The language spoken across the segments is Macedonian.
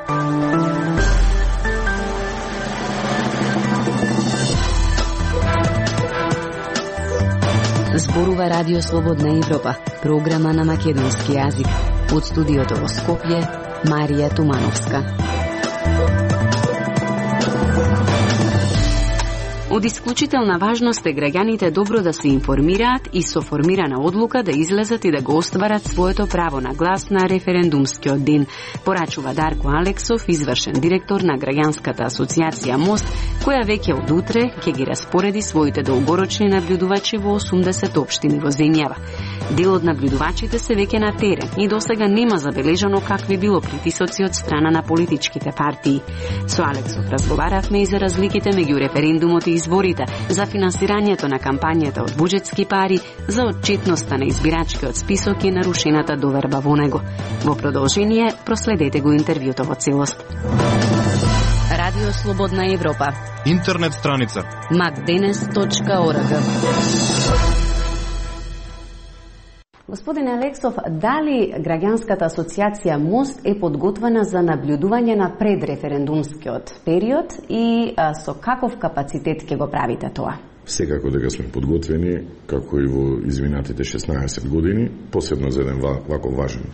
Зборува Радио Слободна Европа, програма на македонски јазик. Од студиото во Скопје, Марија Тумановска. Од исклучителна важност е граѓаните добро да се информираат и со формирана одлука да излезат и да го остварат своето право на глас на референдумскиот ден, порачува Дарко Алексов, извршен директор на Граѓанската асоциација МОСТ, која веќе од утре ќе ги распореди своите долгорочни наблюдувачи во 80 општини во земјава. Дел од наблюдувачите се веќе на терен и досега нема забележано какви било притисоци од страна на политичките партии. Со Алексов разговаравме и за разликите меѓу референдумот и изборите, за финансирањето на кампањата од буџетски пари, за отчетноста на избирачкиот список и нарушената доверба во него. Во продолжение, проследете го интервјуто во целост. Радио Слободна Европа. Интернет страница macdenes.org. Господине Алексов, дали Граѓанската асоциација МОСТ е подготвена за наблюдување на предреферендумскиот период и со каков капацитет ќе го правите тоа? Секако дека сме подготвени, како и во изминатите 16 години, посебно за еден вако важен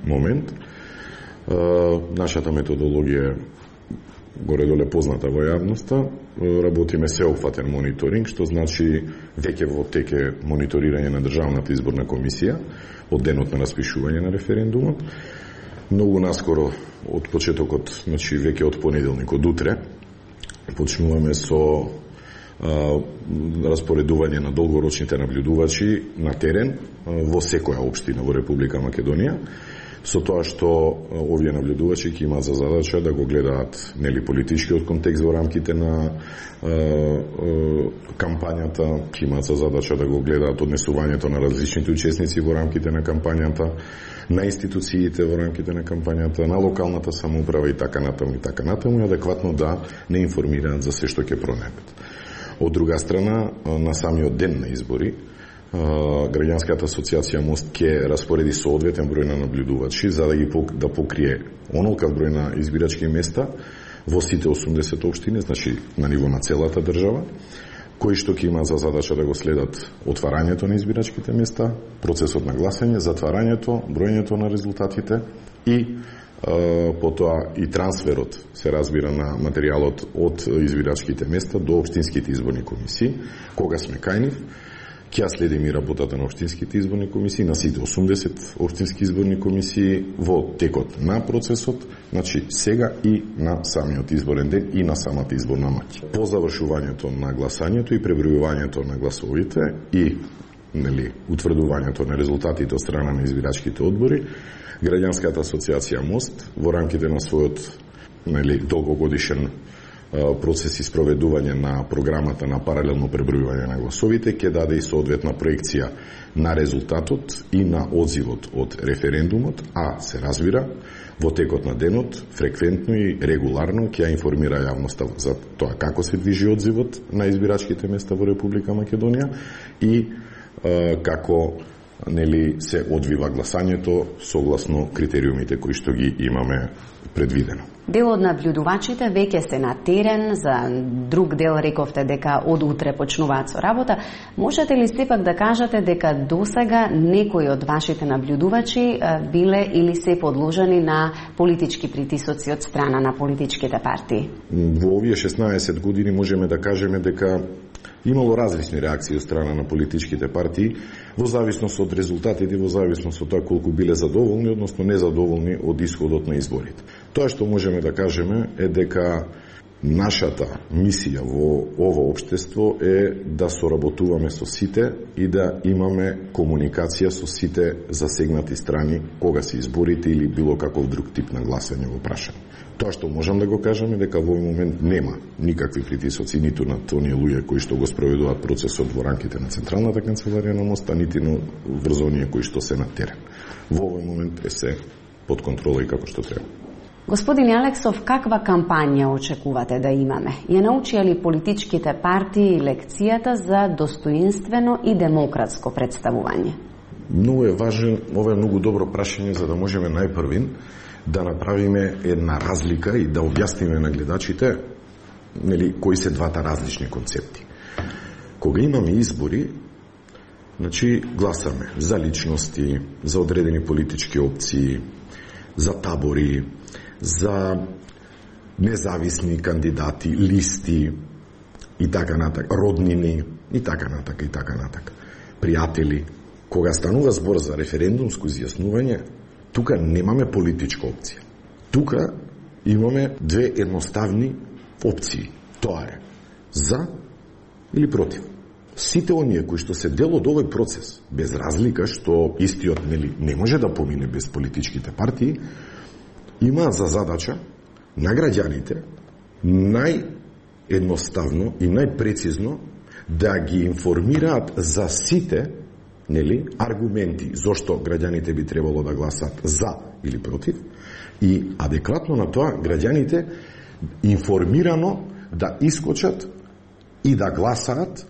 момент. Нашата методологија горе-доле позната во јавноста, работиме сеопфатен мониторинг, што значи веќе во теке мониторирање на Државната изборна комисија од денот на распишување на референдумот. Многу наскоро од почетокот, значи веќе од понеделник, од утре, почнуваме со распоредување на долгорочните наблюдувачи на терен во секоја општина во Република Македонија, со тоа што овие наблюдувачи ќе имаат за задача да го гледаат политичкиот контекст во рамките на кампањата, ќе имаат за задача да го гледаат однесувањето на различните учесници во рамките на кампањата, на институциите во рамките на кампањата, на локалната самоуправа и така натаму, и адекватно да не информираат за се што ќе пронебат. Од друга страна, на самиот ден на избори, Граѓанската асоциација МОСТ ќе распореди соодветен број на наблюдувачи за да покрие онолкав број на избирачки места во сите 80 општини, значи на ниво на целата држава, кои што ќе имаат за задача да го следат отварањето на избирачките места, процесот на гласање, затварањето, броењето на резултатите и потоа и трансферот, се разбира, на материјалот од избирачките места до општинските изборни комисии, кога сме кај нив. Ќе следим и работата на општинските изборни комисии, на сите 80 општински изборни комисии во текот на процесот, значи сега и на самиот изборен ден и на самата изборна ноќ. По завршувањето на гласањето и пребројувањето на гласовите и утврдувањето на резултатите од страна на избирачките одбори, Граѓанската асоциација МОСТ во рамките на својот долгогодишен процес и спроведување на програмата на паралелно пребројување на гласовите ќе даде и соодветна проекција на резултатот и на одзивот од референдумот, а се разбира во текот на денот фреквентно и регуларно ќе информира јавноста за тоа како се движи одзивот на избирачките места во Република Македонија и како се одвива гласањето согласно критериумите кои што ги имаме предвидено. Дел од наблюдувачите веќе се на терен, за друг дел рековте дека од утре почнуваат со работа. Можете ли сепак да кажете дека досега некои од вашите наблюдувачи биле или се подложени на политички притисоци од страна на политичките партии? Во овие 16 години можеме да кажеме дека имало различни реакции од страна на политичките партии во зависност од резултатите, во зависност од тоа колку биле задоволни, односно незадоволни од исходот на изборите. Тоа што можеме да кажеме е дека нашата мисија во ово општество е да соработуваме со сите и да имаме комуникација со сите засегнати страни кога се изборите или било каков друг тип на гласање во прашање. Тоа што можам да го кажам е дека во овој момент нема никакви притисоци ниту на оние луѓе кои што го спроведуваат процесот во рамките на Централната канцеларија на МОСТ, нити врз оние кои што се на терен. Во овој момент е се под контрола и како што треба. Господин Алексов, каква кампања очекувате да имаме? Ја научија ли политичките партии лекцијата за достоинствено и демократско представување? Многу е важен, ова е многу добро прашање за да можеме најпрвин да направиме една разлика и да објасниме на гледачите кои се двата различни концепти. Кога имаме избори, гласаме за личности, за одредени политички опции, за табори, за независни кандидати, листи и така натак, роднини и така натак, пријатели. Кога станува збор за референдумско изјаснување, тука немаме политичка опција. Тука имаме две едноставни опции. Тоа е за или против. Сите оние кои што се дел од овој процес, без разлика што истиот не може да помине без политичките партии, имаат за задача на граѓаните наједноставно и најпрецизно да ги информираат за сите аргументи зошто граѓаните би требало да гласат за или против и адекватно на тоа граѓаните информирано да искочат и да гласаат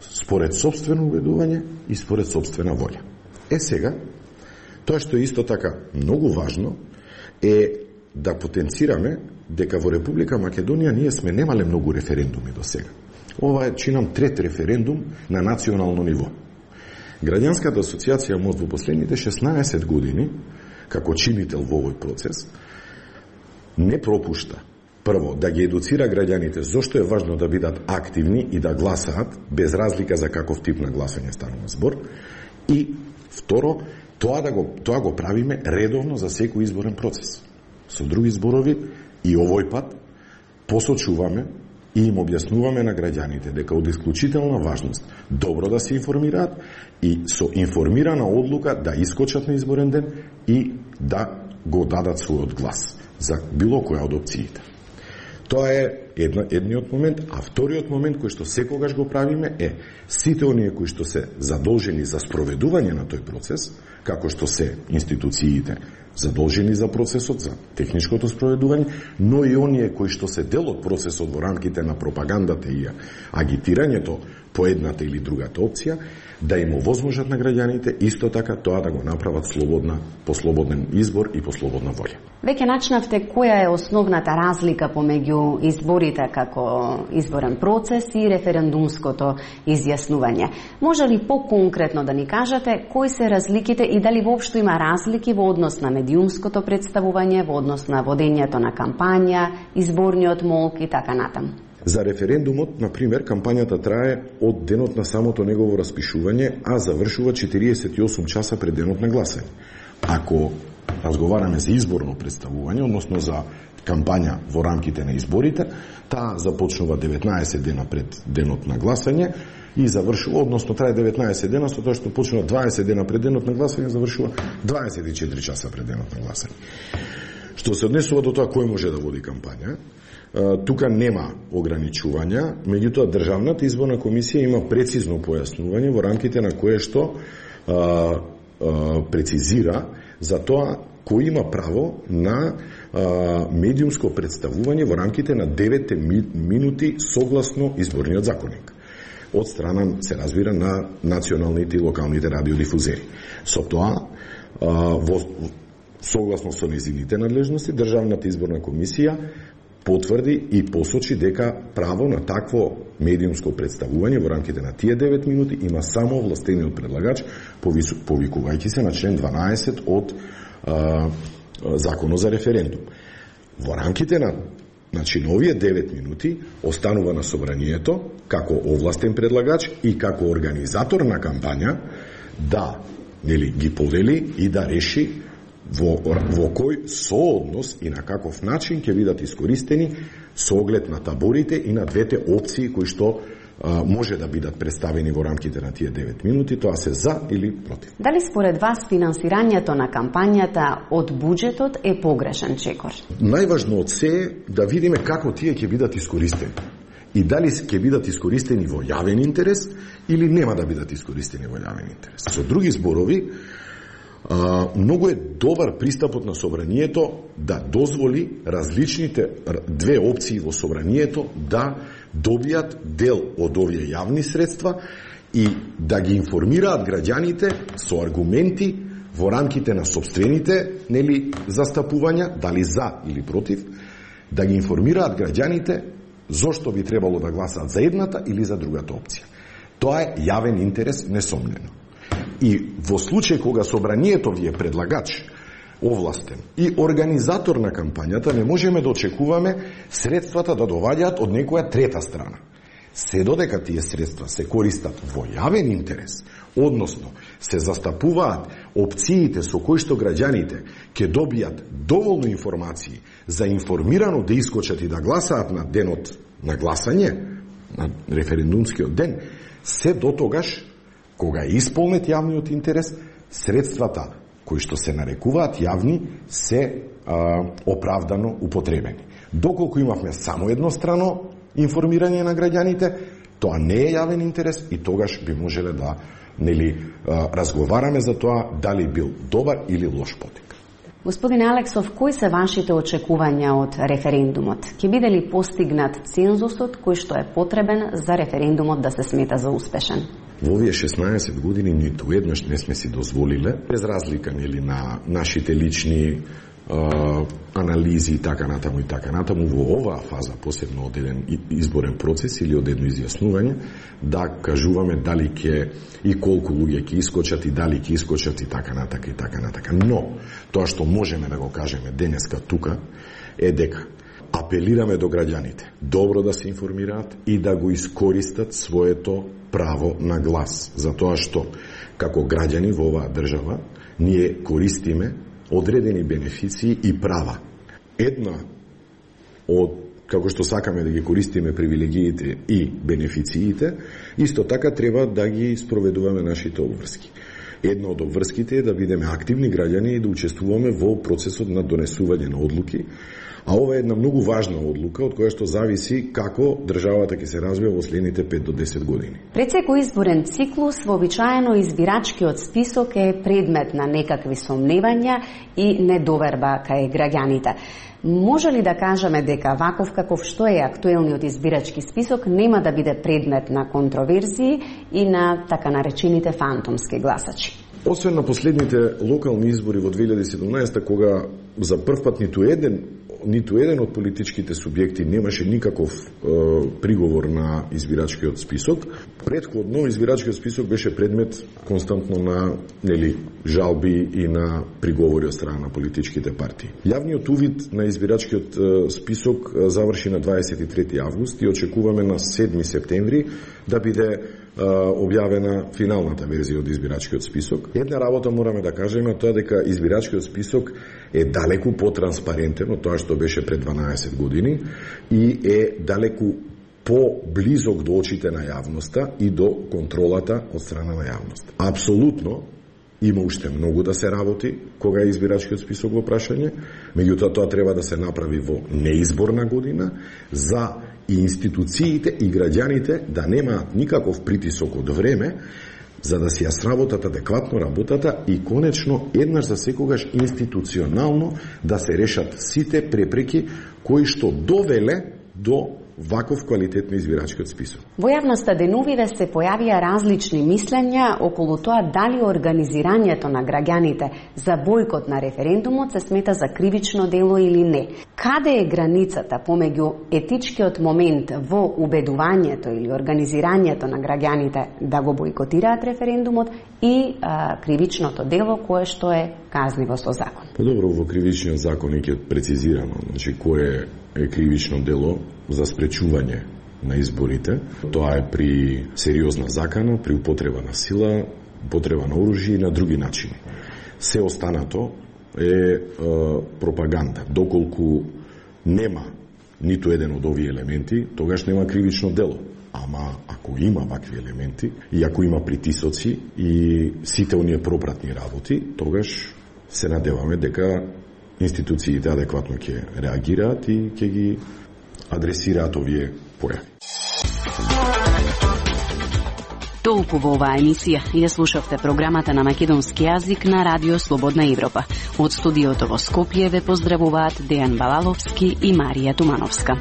според собствено убедување и според собствена волја. Сега, тоа што е исто така многу важно е да потенцираме дека во Република Македонија ние сме немале многу референдуми до сега. Ова е, чинам, трет референдум на национално ниво. Граѓанската асоциација МОСТ во последните 16 години, како чинител во овој процес, не пропушта прво да ги едуцира граѓаните зошто е важно да бидат активни и да гласаат, без разлика за каков тип на гласање станува збор, и второ, тоа го правиме редовно за секој изборен процес. Со други зборови, и овој пат посочуваме и им објаснуваме на граѓаните дека од исклучителна важност добро да се информираат и со информирана одлука да искочат на изборен ден и да го дадат својот глас за било која од опциите. Тоа е едниот момент, а вториот момент кој што секогаш го правиме е сите оние кои што се задолжени за спроведување на тој процес, како што се институциите задолжени за процесот, за техничкото спроведување, но и оние кои што се дел од процесот во рамките на пропагандата и агитирањето по едната или другата опција, да им овозможат на граѓаните исто така тоа да го направат по слободен избор и по слободна волја. Веќе начнавте која е основната разлика помеѓу изборите како изборен процес и референдумското изјаснување. Може ли поконкретно да ни кажете кои се разликите и дали воопшто има разлики во однос на медиумското представување, во однос на водењето на кампања, изборниот молк и така натаму? За референдумот, например, кампањата трае од денот на самото негово распишување, а завршува 48 часа пред денот на гласање. Ако разговараме за изборно представување, односно за кампања во рамките на изборите, таа започнува 19 дена пред денот на гласање и завршува, односно трае 19 дена, со тоа што почнува 20 дена пред денот на гласање, завршува 24 часа пред денот на гласање. Што се однесува до тоа кој може да води кампања, тука нема ограничувања, меѓутоа Државната изборна комисија има прецизно појаснување во рамките на кое што прецизира за тоа кој има право на медиумско представување во рамките на 9 минути согласно изборниот законник. Од страна, се разбира, на националните и локалните радиодифузери. Со тоа, согласно со незините надлежности, Државната изборна комисија потврди и посочи дека право на такво медиумско представување во рамките на тие 9 минути има само овластениот предлагач, повикувајќи се на член 12 од Законот за референдум. Во рамките на овие 9 минути останува на собранието како овластен предлагач и како организатор на кампања да ги подели и да реши во кој сооднос и на каков начин ќе бидат искористени со оглед на таборите и на двете опции кои што може да бидат представени во рамките на тие 9 минути, тоа се за или против. Дали според вас финансирањето на кампањата од буџетот е погрешен чекор? Најважно од се е да видиме како тие ќе бидат искористени. И дали ќе бидат искористени во јавен интерес или нема да бидат искористени во јавен интерес. Со други зборови, многу е добар пристапот на собранието да дозволи различните две опции во собранието да добијат дел од овие јавни средства и да ги информираат граѓаните со аргументи во рамките на сопствените застапувања, дали за или против, да ги информираат граѓаните зошто би требало да гласаат за едната или за другата опција. Тоа е јавен интерес, несомнено. И во случај кога собранието ви е предлагач, овластен и организатор на кампањата, не можеме да очекуваме средствата да доваѓаат од некоја трета страна. Се додека тие средства се користат во јавен интерес, односно се застапуваат опциите со кои што граѓаните ќе добијат доволно информации за информирано да искочат и да гласаат на денот на гласање, на референдумскиот ден, се дотогаш кога е исполнет јавниот интерес, средствата кои што се нарекуваат јавни се оправдано употребени. Доколку имавме само еднострано информирање на граѓаните, тоа не е јавен интерес и тогаш би можеле да разговараме за тоа дали бил добар или лош потек. Господин Алексов, кои се вашите очекувања од референдумот? Ќе биде ли постигнат цензусот кој што е потребен за референдумот да се смета за успешен? Во овие 16 години ниту еднаш не сме си дозволиле, без разлика на нашите лични анализи и така натаму во оваа фаза, посебно од еден изборен процес или од едно изјаснување, да кажуваме дали ќе и колку луѓе ќе искочат и дали ќе искочат и така натака. Но тоа што можеме да го кажеме денеска тука е дека апелираме до граѓаните добро да се информираат и да го искористат своето право на глас, затоа што како граѓани во оваа држава ние користиме одредени бенефиции и права. Една од, како што сакаме да ги користиме привилегиите и бенефициите, исто така треба да ги спроведуваме нашите обврски. Една од обврските е да бидеме активни граѓани и да учествуваме во процесот на донесување на одлуки, а ова е една многу важна одлука од која што зависи како државата ќе се развива во следните 5 до 10 години. Пред секој изборен циклус, вообичаено избирачкиот список е предмет на некакви сомневања и недоверба кај граѓаните. Може ли да кажеме дека ваков каков што е актуелниот избирачки список нема да биде предмет на контроверзии и на така наречените фантомски гласачи? Освен на последните локални избори во 2017, кога за првпат ниту еден од политичките субјекти немаше никаков приговор на избирачкиот список, претходно избирачкиот список беше предмет константно на жалби и на приговори од страна на политичките партии. Јавниот увид на избирачкиот список заврши на 23 август и очекуваме на 7 септември да биде објавена финалната верзија од избирачкиот список. Една работа мораме да кажеме, тоа дека избирачкиот список е далеку потранспарентен од тоа што беше пред 12 години и е далеку по-близок до очите на јавноста и до контролата од страна на јавност. Апсолутно има уште многу да се работи кога е избирачкиот список во прашање, меѓутоа тоа треба да се направи во неизборна година за и институциите и граѓаните да немаат никаков притисок од време за да си ја сработат адекватно работата и конечно еднаш за секогаш институционално да се решат сите препреки кои што довеле до ваков квалитет на избирачкиот список. Во јавноста деновиве се појавија различни мислења околу тоа дали организирањето на граѓаните за бојкот на референдумот се смета за кривично дело или не. Каде е границата помеѓу етичкиот момент во убедувањето или организирањето на граѓаните да го бојкотираат референдумот и кривичното дело кое што е казниво со закон? Подобро, во кривичниот закон е прецизирано, значи кое е кривично дело за спречување на изборите. Тоа е при сериозна закана, при употреба на сила, употреба на оружје и на други начини. Се останато е пропаганда. Доколку нема ниту еден од овие елементи, тогаш нема кривично дело. Ама ако има вакви елементи и ако има притисоци и сите оние пропратни работи, тогаш се надеваме дека институциите адекватно ќе реагираат и ќе ги адресираат овие појави. Толку во оваа емисија ја слушавте програмата на македонски јазик на Радио Слободна Европа. Од студиото во Скопје ве поздравуваат Дејан Балаловски и Марија Тумановска.